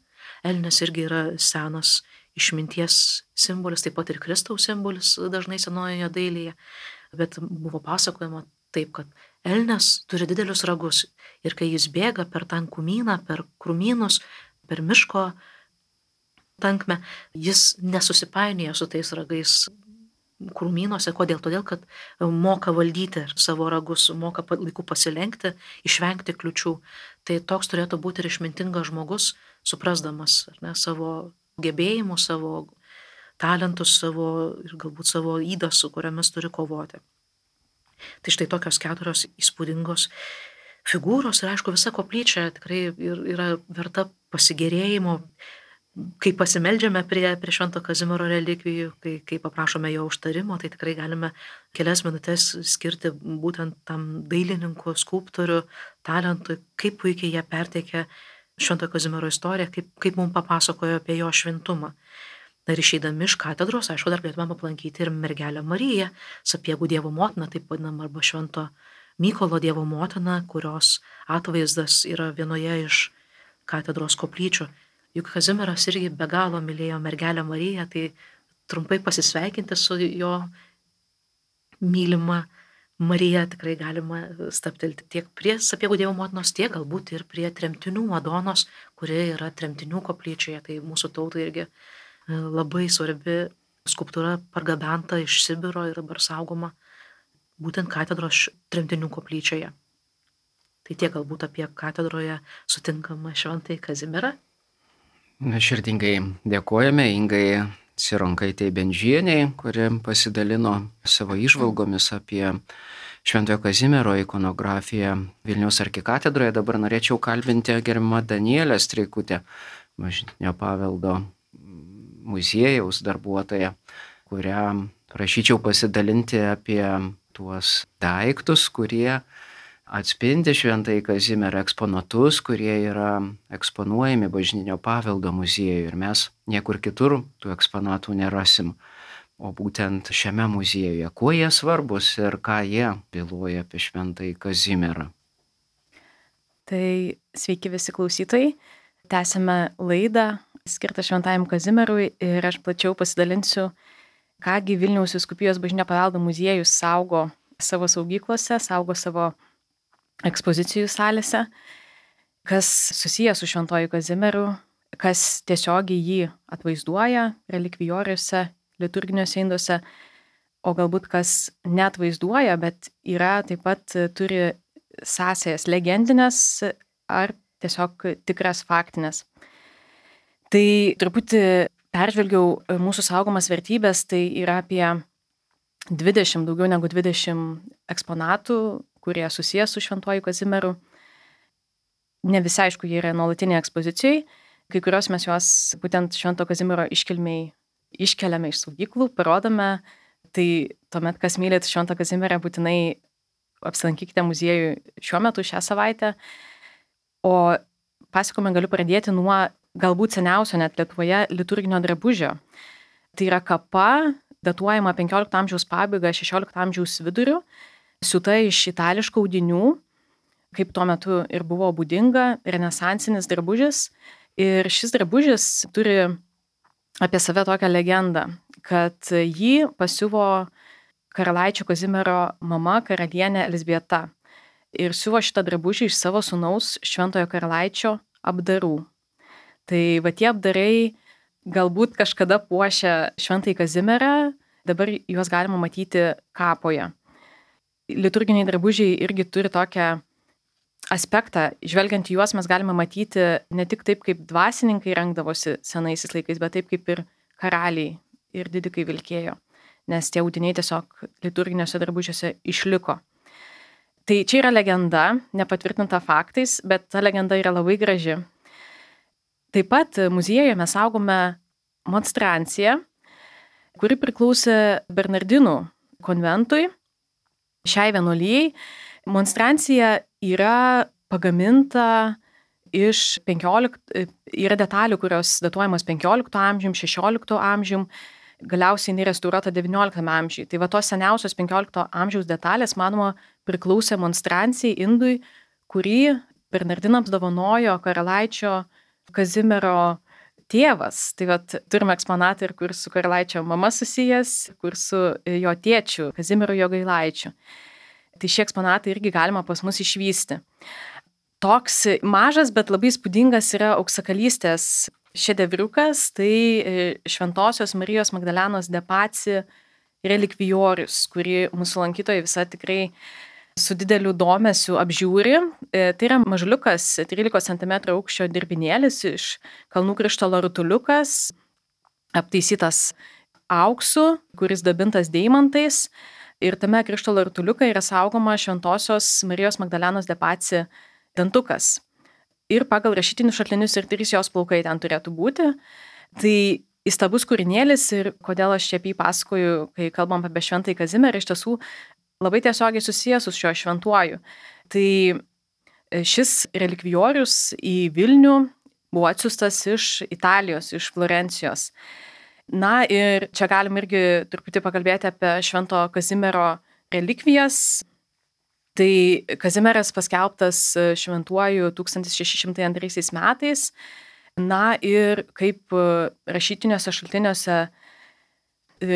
Elnės irgi yra senas išminties simbolis, taip pat ir Kristaus simbolis dažnai senojoje dailėje. Bet buvo pasakojama taip, kad elnės turi didelius ragus ir kai jis bėga per tankumyną, per krūmynus, per miško tankmę, jis nesusipainioja su tais ragais krūmynuose. Kodėl? Todėl, kad moka valdyti savo ragus, moka laiku pasilenkti, išvengti kliučių. Tai toks turėtų būti ir išmintingas žmogus, suprasdamas savo gebėjimus, savo talentus, ir galbūt savo ydas, su kuriamis turi kovoti. Tai štai tokios 4 įspūdingos figūros ir aišku, visa koplyčia tikrai yra verta pasigėrėjimo. Kai pasimeldžiame prie Švento Kazimiero relikvijų, kai paprašome jo užtarimo, tai tikrai galime kelias minutės skirti būtent tam dailininkų, skulptorių talentui, kaip puikiai jie perteikia Švento Kazimiero istoriją, kaip mums papasakojo apie jo šventumą. Ir išeidami iš katedros, aišku, dar galėtume aplankyti ir mergelę Mariją, Sapiegų Dievo motiną, taip vadinamą, arba Švento Mykolo Dievo motiną, kurios atvaizdas yra vienoje iš katedros koplyčių. Juk Kazimieras irgi be galo mylėjo mergelę Mariją, tai trumpai pasisveikinti su jo mylima Marija tikrai galima stabtelti tiek prie Sapiegų Dievo motinos, tiek galbūt ir prie tremtinių Madonos, kuri yra tremtinių koplyčioje. Tai mūsų tautai irgi labai svarbi skulptūra, pargabenta iš Sibiro ir dabar saugoma būtent katedros tremtinių koplyčioje. Tai tiek galbūt apie katedroje sutinkamą Šventąjį Kazimierą. Mes širdingai dėkojame Ingai Cironkaitei Bendžienei, kuri pasidalino savo įžvalgomis apie Šventojo Kazimiero ikonografiją Vilniaus arkikatedroje. Dabar norėčiau kalbinti gerbiamą Danielę Streikutę, bažnytinio paveldo muziejaus darbuotoją, kurią prašyčiau pasidalinti apie tuos daiktus, kurie atspindi Šventąjį Kazimierą, eksponatus, kurie yra eksponuojami bažnytinio paveldo muziejuje ir mes niekur kitur tų eksponatų nerasim, o būtent šiame muziejuje. Kuo jie svarbus ir ką jie byloja apie Šventąjį Kazimierą? Tai sveiki visi klausytojai. Tęsime laidą skirtą Šventajam Kazimierui ir aš plačiau pasidalinsiu, kągi Vilniaus vyskupijos bažnytinio paveldo muziejus saugo savo saugyklose, saugo savo ekspozicijų salėse, kas susijęs su Šventuoju Kazimieru, kas tiesiogiai jį atvaizduoja relikvijoriuose, liturginiuose induose, o galbūt kas neatvaizduoja, bet yra taip pat turi sąsajas legendinės ar tiesiog tikras faktinės. Tai truputį peržvelgiau mūsų saugomas vertybės, tai yra apie 20, daugiau negu 20 eksponatų, kurie susijęs su Šventuoju Kazimieru. Ne visi, aišku, jie yra nuolatiniai ekspozicijai. Kai kurios mes juos būtent Švento Kazimiero iškilmiai iškeliame iš saugyklų, parodome. Tai tuomet, kas mylit Šventą Kazimierą, būtinai apsilankykite muziejų šiuo metu, šią savaitę. O pasakojimą galiu pradėti nuo galbūt seniausio net Lietuvoje liturginio drabužio. Tai yra kapa, datuojama 15 amžiaus pabaiga, 16 amžiaus viduriu, siūta iš itališkų audinių, kaip tuo metu ir buvo būdinga, renesansinis drabužis. Ir šis drabužis turi apie save tokią legendą, kad jį pasiuvo karalaičio Kazimiero mama, karalienė Elzbieta. Ir siuvo šitą drabužį iš savo sūnaus Šventojo karalaičio apdarų. Tai va tie apdarai galbūt kažkada puošia Šventąjį Kazimierą, dabar juos galima matyti kapoje. Liturginiai drabužiai irgi turi tokią aspektą. Žvelgiant į juos mes galime matyti ne tik taip, kaip dvasininkai rengdavosi senaisiais laikais, bet taip, kaip ir karaliai ir didikai vilkėjo, nes tie audiniai tiesiog liturginiuose drabužiuose išliko. Tai čia yra legenda, nepatvirtinta faktais, bet ta legenda yra labai graži. Taip pat muziejuje mes saugome monstranciją, kuri priklausė Bernardinų konventui, šiai vienuolijai. Monstrancija yra pagaminta yra detalių, kurios datuojamos 15 amžium, 16 amžium galiausiai jinai restauruota XIX amžiuje. Tai va tos seniausios XV amžiaus detalės, manoma, priklausė monstrancijai indui, kurį Bernardinams dovanojo karalaičio Kazimiero tėvas. Tai vat turime eksponatą ir kur su karalaičio mama susijęs, kur su jo tėčiu Kazimieru Jogailaičiu. Tai šie eksponatai irgi galima pas mus išvysti. Toks mažas, bet labai spūdingas yra auksakalystės šedevriukas, tai Šventosios Marijos Magdalenos de Paci relikvijorius, kurį mūsų lankytojai visą tikrai su dideliu domesiu apžiūri. Tai yra mažuliukas 13 cm aukščio dirbinėlis iš Kalnų Krištolo rutuliukas, aptaisytas auksu, kuris dabintas deimantais. Ir tame krištolo rutuliukai yra saugoma Šventosios Marijos Magdalenos de Paci dantukas. Ir pagal rašytinius šaltinius ir 3 jos plaukai ten turėtų būti. Tai įstabus kūrinėlis ir kodėl aš čia apie jį pasakoju, kai kalbam apie Šventąjį Kazimierą, iš tiesų labai tiesiogiai susijęs su šiuo šventuoju. Tai šis relikvijorius į Vilnių buvo atsiųstas iš Italijos, iš Florencijos. Na ir čia galim irgi truputį pakalbėti apie Švento Kazimiero relikvijas. Tai Kazimieras paskelbtas šventuoju 1602 metais. Na ir kaip rašytiniuose šaltiniuose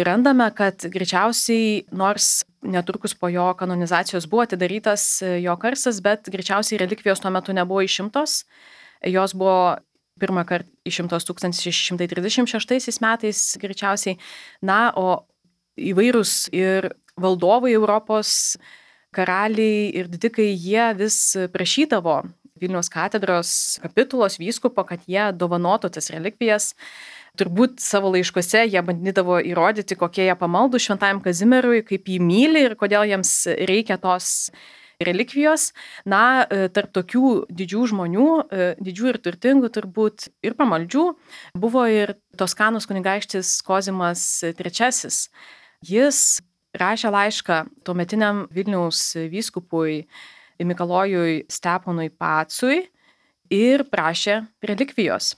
randame, kad greičiausiai, nors netrukus po jo kanonizacijos buvo atidarytas jo karstas, bet greičiausiai relikvijos tuo metu nebuvo išimtos. Jos buvo pirmą kartą išimtos 1636 metais greičiausiai. Na, o įvairūs ir valdovai Europos, karaliai ir didikai, jie vis prašydavo Vilniaus katedros kapitulos vyskupo, kad jie dovanotų tas relikvijas. Turbūt savo laiškuose jie bandydavo įrodyti, kokie jie pamaldų Šventajam Kazimierui, kaip jį myli ir kodėl jiems reikia tos relikvijos. Na, tarp tokių didžių žmonių, didžių ir turtingų turbūt ir pamaldžių, buvo ir Toskanos kunigaikštis Kozimas III. Jis rašė laišką tuometiniam Vilniaus vyskupui Mikalojui Steponui Pacui ir prašė relikvijos.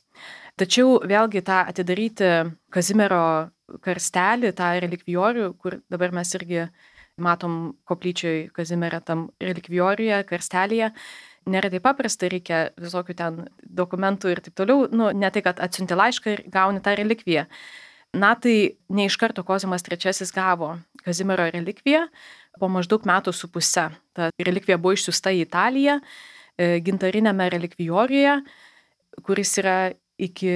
Tačiau vėlgi tą atidaryti Kazimiero karstelį, tą relikvijorių, kur dabar mes irgi matom koplyčioj Kazimierą tam relikvijoriuje, karstelėje, nėra taip paprasta, reikia visokių ten dokumentų ir taip toliau. Ne tai, kad atsiunti laišką ir gauni tą relikviją. Na tai ne iš karto Kozimas III gavo Kazimiero relikviją, po maždaug metų su puse. Ta relikvija buvo išsiųsta į Italiją, gintarinėme relikvijoriuje, kuris yra iki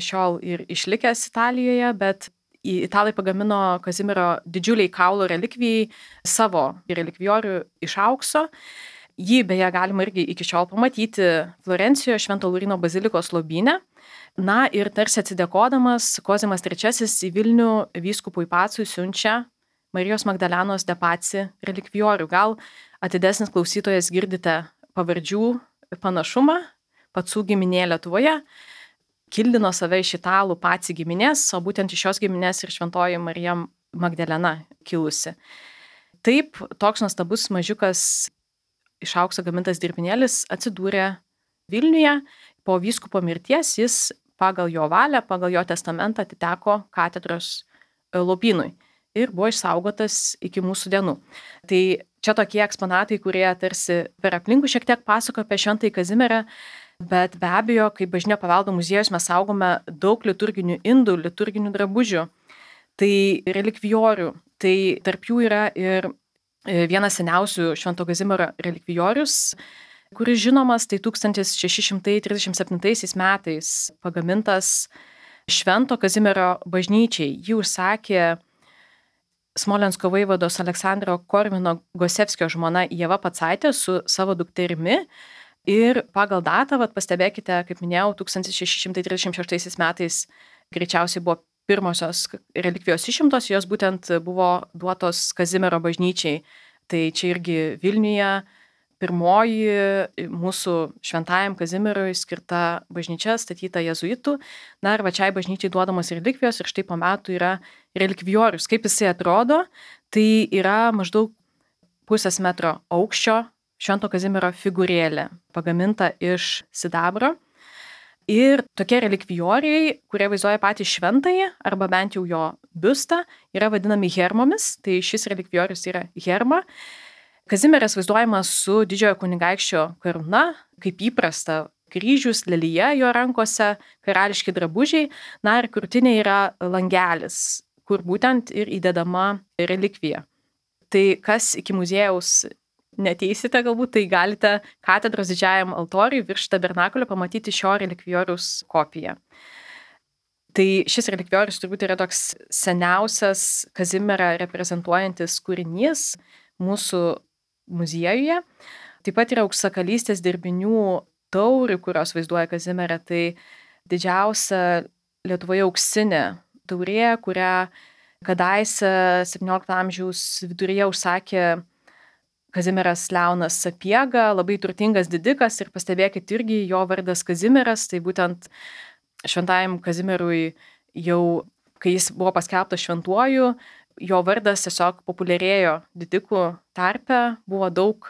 šiol ir išlikęs Italijoje, bet italai pagamino Kazimiero didžiuliai kaulo relikvijai savo relikvijorių iš aukso. Jį beje galima irgi iki šiol pamatyti Florencijoje Švento Lauryno bazilikos lobyne. Na ir tarsi atsidėkodamas, Kozimas III į Vilnių vyskupui Pacui siunčia Marijos Magdalenos de Paci relikvijorių. Gal atidesnis klausytojas girdite pavardžių panašumą, Pacų giminė Lietuvoje kildino save iš italų Paci giminės, o būtent iš šios giminės ir Šventoji Marija Magdalena kilusi. Taip, toks nuostabus mažiukas iš aukso gamintas dirbinėlis atsidūrė Vilniuje. Po vyskupo mirties jis pagal jo valią, pagal jo testamentą atiteko katedros lopynui ir buvo išsaugotas iki mūsų dienų. Tai čia tokie eksponatai, kurie tarsi per aplinkų šiek tiek pasako apie Šventąjį Kazimierą, bet be abejo, kaip Bažnytinio paveldo muziejus mes saugome daug liturginių indų, liturginių drabužių, tai relikvijorių. Tai tarp jų yra ir vienas seniausių Švento Kazimiero relikvijorius, kuris žinomas, tai 1637 metais pagamintas Švento Kazimiero bažnyčiai. Jį užsakė Smolensko vaivados Aleksandro Korvino Gosevskio žmona Ieva Pacaitė su savo dukterimi. Ir pagal datą, pastebėkite, kaip minėjau, 1636 metais greičiausiai buvo pirmosios relikvijos išimtos, jos būtent buvo duotos Kazimiero bažnyčiai. Tai čia irgi Vilniuje pirmoji mūsų Šventajam Kazimierui skirta bažnyčia statyta jėzuitų. Na ir pačiai bažnyčiai duodamos relikvijos ir štai po metų yra relikvijorius. Kaip jisai atrodo, tai yra maždaug 0,5 metro aukščio Švento Kazimiero figūrėlė, pagaminta iš sidabro. Ir tokie relikvijoriai, kurie vaizduoja patį šventąjį, arba bent jau jo biustą, yra vadinami hermomis, tai šis relikvijorius yra herma. Kazimieras vaizduojamas su didžiojo kunigaikščio karūna, kaip įprasta, kryžius, lelija jo rankose, karališki drabužiai, na ir krūtinė yra langelis, kur būtent ir įdedama relikvija. Tai kas iki muziejaus neteisite galbūt, tai galite katedros didžiajam altoriui virš tabernakulio pamatyti šio relikvijoriaus kopiją. Tai šis relikvijorius turbūt yra toks seniausias Kazimierą reprezentuojantis kūrinys mūsų muziejuje. Taip pat yra auksakalystės dirbinių taurių, kurios vaizduoja Kazimierą. Tai didžiausia Lietuvoje auksinė taurė, kurią kadaise 17 amžiaus viduryje užsakė Kazimieras Leonas Sapiega, labai turtingas didikas ir pastebėkit irgi jo vardas Kazimieras, tai būtent šventajam Kazimierui jau, kai jis buvo paskelbtas šventuoju, jo vardas tiesiog populiarėjo didikų tarpe, buvo daug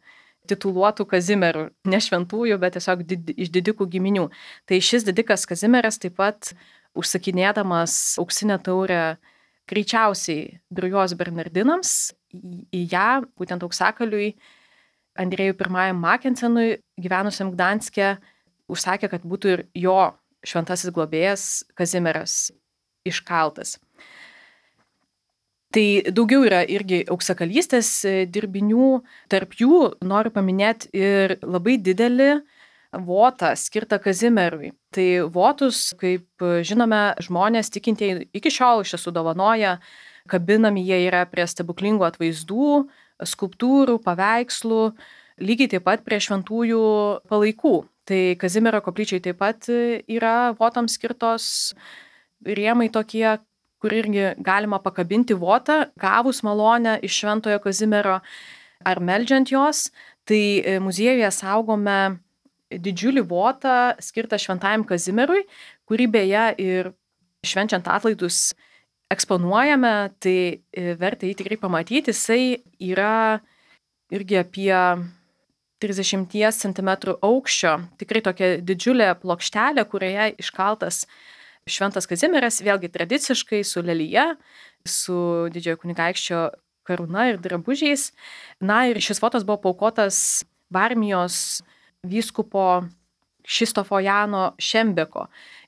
tituluotų Kazimierų, ne šventųjų, bet tiesiog iš didikų giminių. Tai šis didikas Kazimieras taip pat užsakinėdamas auksinę taurę greičiausiai Drujos Bernardinams, į ją, būtent auksakaliui, Andrėjui I Makensenui, gyvenusiam Gdanske, užsakė, kad būtų ir jo šventasis globėjas Kazimieras iškaltas. Tai daugiau yra irgi auksakalystės dirbinių, tarp jų noriu paminėti ir labai didelį votą skirtą Kazimierui. Tai votus, kaip žinome, žmonės tikintieji iki šiol iš tiesų dovanoja, kabinami jie yra prie stebuklingų atvaizdų, skulptūrų, paveikslų, lygiai taip pat prie šventųjų palaikų. Tai Kazimiero koplyčiai taip pat yra votams skirtos rėmai tokie, kur irgi galima pakabinti votą, gavus malonę iš šventojo Kazimiero ar meldžiant jos. Tai muziejuje saugome didžiulį votą skirtą šventajam Kazimierui, kurį beje ir švenčiant atlaidus eksponuojame, tai verta jį tikrai pamatyti. Jisai yra irgi apie 30 cm aukščio, tikrai tokia didžiulė plokštelė, kurioje iškaltas šventas Kazimieras, vėlgi tradiciškai su lelija, su didžiojo kunigaikščio karūna ir drabužiais. Na ir šis votas buvo paaukotas Varmijos vyskupo Kšištofo Jano Šembeko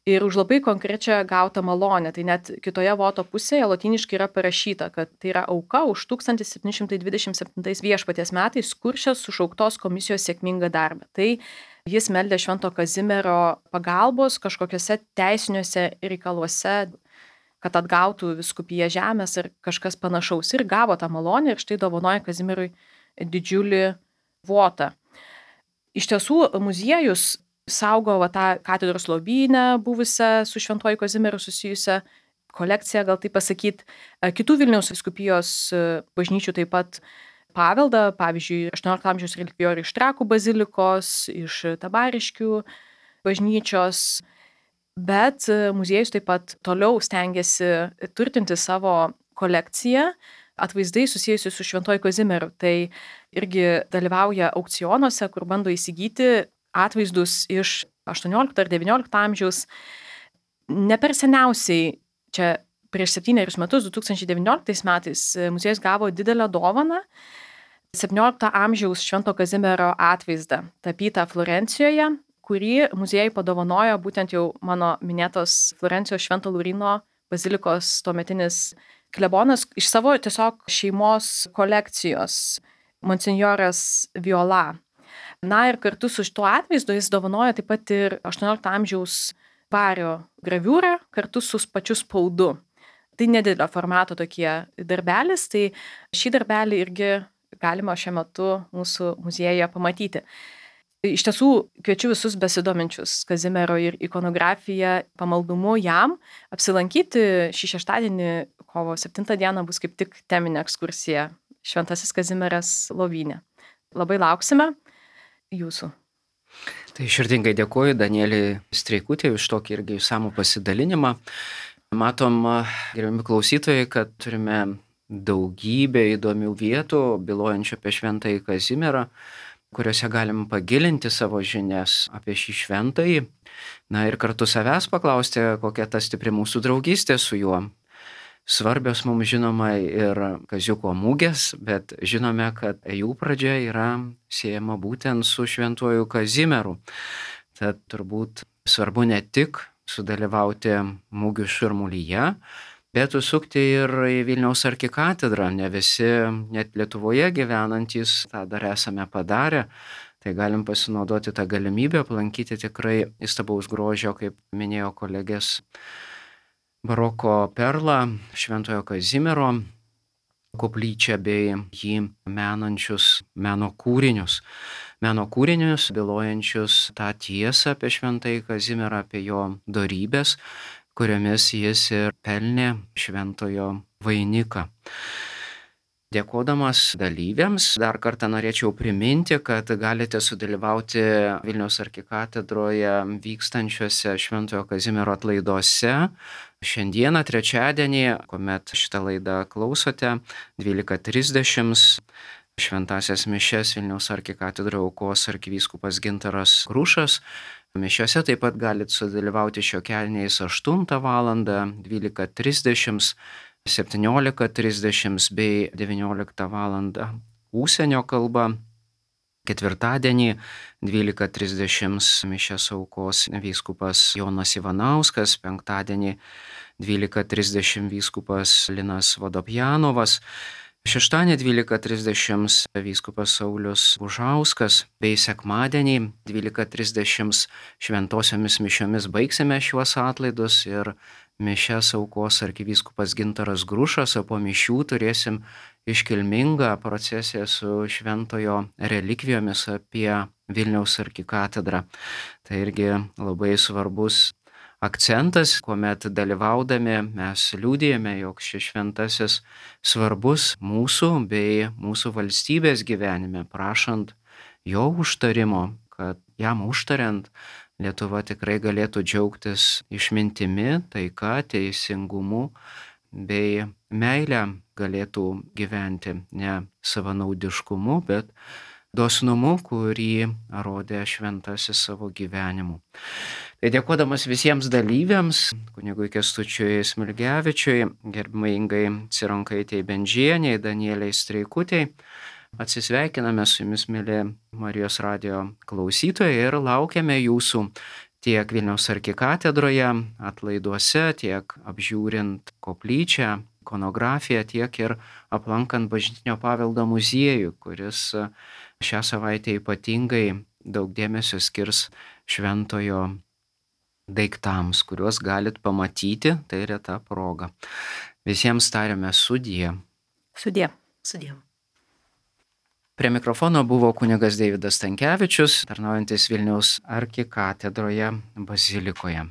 ir už labai konkrečią gautą malonę. Tai net kitoje voto pusėje lotyniškai yra parašyta, kad tai yra auka už 1727 viešpaties metais Kuršios sušauktos komisijos sėkmingą darbą. Tai jis meldė švento Kazimiero pagalbos kažkokiuose teisiniuose reikaluose, kad atgautų vyskupiją žemės ir kažkas panašaus. Ir gavo tą malonę ir štai dovanoja Kazimierui didžiulį votą. Iš tiesų, muziejus saugo tą katedros lobyne buvusią su šventuoju Kazimieru susijusią kolekciją, gal taip pasakyti, kitų Vilniaus vyskupijos bažnyčių taip pat paveldą, pavyzdžiui, 18 amžiaus relikvijorių iš Trakų bazilikos, iš Tabariškių bažnyčios, bet muziejus taip pat toliau stengiasi turtinti savo kolekciją atvaizdai susijusi su šventuoju Kazimieru. Tai irgi dalyvauja aukcionuose, kur bando įsigyti atvaizdus iš 18 ar 19 amžiaus. Ne per seniausiai, čia prieš 7 metus, 2019 metais, muziejus gavo didelę dovaną 17 amžiaus švento Kazimiero atvaizdą, tapytą Florencijoje, kurį muziejui padovanojo būtent jau mano minėtos Florencijos Švento Lauryno bazilikos tuometinis klebonas iš savo tiesiog šeimos kolekcijos, monsinjoras Viola. Na ir kartu su šituo atvaizdu jis dovanoja taip pat ir 18 amžiaus vario graviūrą kartu su pačiu spaudu. Tai nedidelio formato tokie darbelis, tai šį darbelį irgi galima šiuo metu mūsų muziejuje pamatyti. Iš tiesų kviečiu visus besidominčius Kazimiero ir ikonografija pamaldumu jam apsilankyti šį šeštadienį, kovo 7 dieną, bus kaip tik teminė ekskursija Šventasis Kazimieras lovyne. Labai lauksime jūsų. Tai širdingai dėkuoju Danieliai Streikutei už tokį irgi išsamų pasidalinimą. Matom, gerbiami klausytojai, kad turime daugybę įdomių vietų, bylojančių apie šventąjį Kazimierą, kuriuose galim pagilinti savo žinias apie šį šventąjį. Na ir kartu savęs paklausti, kokia ta stipri mūsų draugystė su juo. Svarbios mums žinoma ir Kaziuko mugės, bet žinome, kad jų pradžia yra siejama būtent su šventuoju Kazimieru. Tad turbūt svarbu ne tik sudalyvauti mugių šurmulyje, bet užsukti ir į Vilniaus arkikatedrą. Ne visi, net Lietuvoje gyvenantys, tą dar esame padarę. Tai galim pasinaudoti tą galimybę, aplankyti tikrai įstabaus grožio, kaip minėjo kolegės, baroko perlą Šventojo Kazimiero koplyčią bei jį menančius meno kūrinius. Meno kūrinius, bylojančius tą tiesą apie Šventąjį Kazimierą, apie jo dorybės, kuriomis jis ir pelnė šventojo vainiką. Dėkodamas dalyviams, dar kartą norėčiau priminti, kad galite sudalyvauti Vilniaus arkikatedroje vykstančiuose Šventojo Kazimiero atlaiduose. Šiandieną, trečiadienį, kuomet šitą laidą klausote, 12:30 šventąsias mišias Vilniaus arkikatedroje aukos arkivyskupas Gintaras Grušas. Mišiose taip pat galite sudalyvauti šiokelniais 8 val., 12:30, 17:30 bei 19 val. Užsienio kalba. Ketvirtadienį 12:30 mišias aukos vyskupas Jonas Ivanauskas, penktadienį 12:30 vyskupas Linas Vodopjanovas, šeštadienį 12:30 vyskupas Saulius Bužauskas, bei sekmadienį 12:30 šventosiomis mišiomis baigsime šiuos atlaidus ir mišias aukos arkivyskupas Gintaras Grušas, o po mišių turėsim iškilmingą procesiją su šventojo relikvijomis apie Vilniaus arkikatedrą. Tai irgi labai svarbus akcentas, kuomet dalyvaudami mes liudijame, jog šis šventasis svarbus mūsų bei mūsų valstybės gyvenime, prašant jo užtarimo, kad jam užtariant Lietuva tikrai galėtų džiaugtis išmintimi, taika, teisingumu bei meilę galėtų gyventi ne savanaudiškumu, bet dosnumu, kurį rodė šventasis savo gyvenimu. Tai dėkodamas visiems dalyviams, kunigui Kęstučiui Smilgevičiui, gerbiamai Ingai Cironkaitei Bendžienei, Danieliai Streikutei, atsisveikiname su jumis, mieli Marijos radijo klausytojai, ir laukiame jūsų tiek Vilniaus arkikatedroje atlaiduose, tiek apžiūrint koplyčią, ikonografiją, tiek ir aplankant Bažnytinio paveldo muziejų, kuris šią savaitę ypatingai daug dėmesio skirs šventojo daiktams, kuriuos galit pamatyti, tai reta proga. Visiems tariame sudie. Sudie. Sudie. Prie mikrofono buvo kunigas Deividas Stankevičius, tarnaujantis Vilniaus arkikatedroje bazilikoje.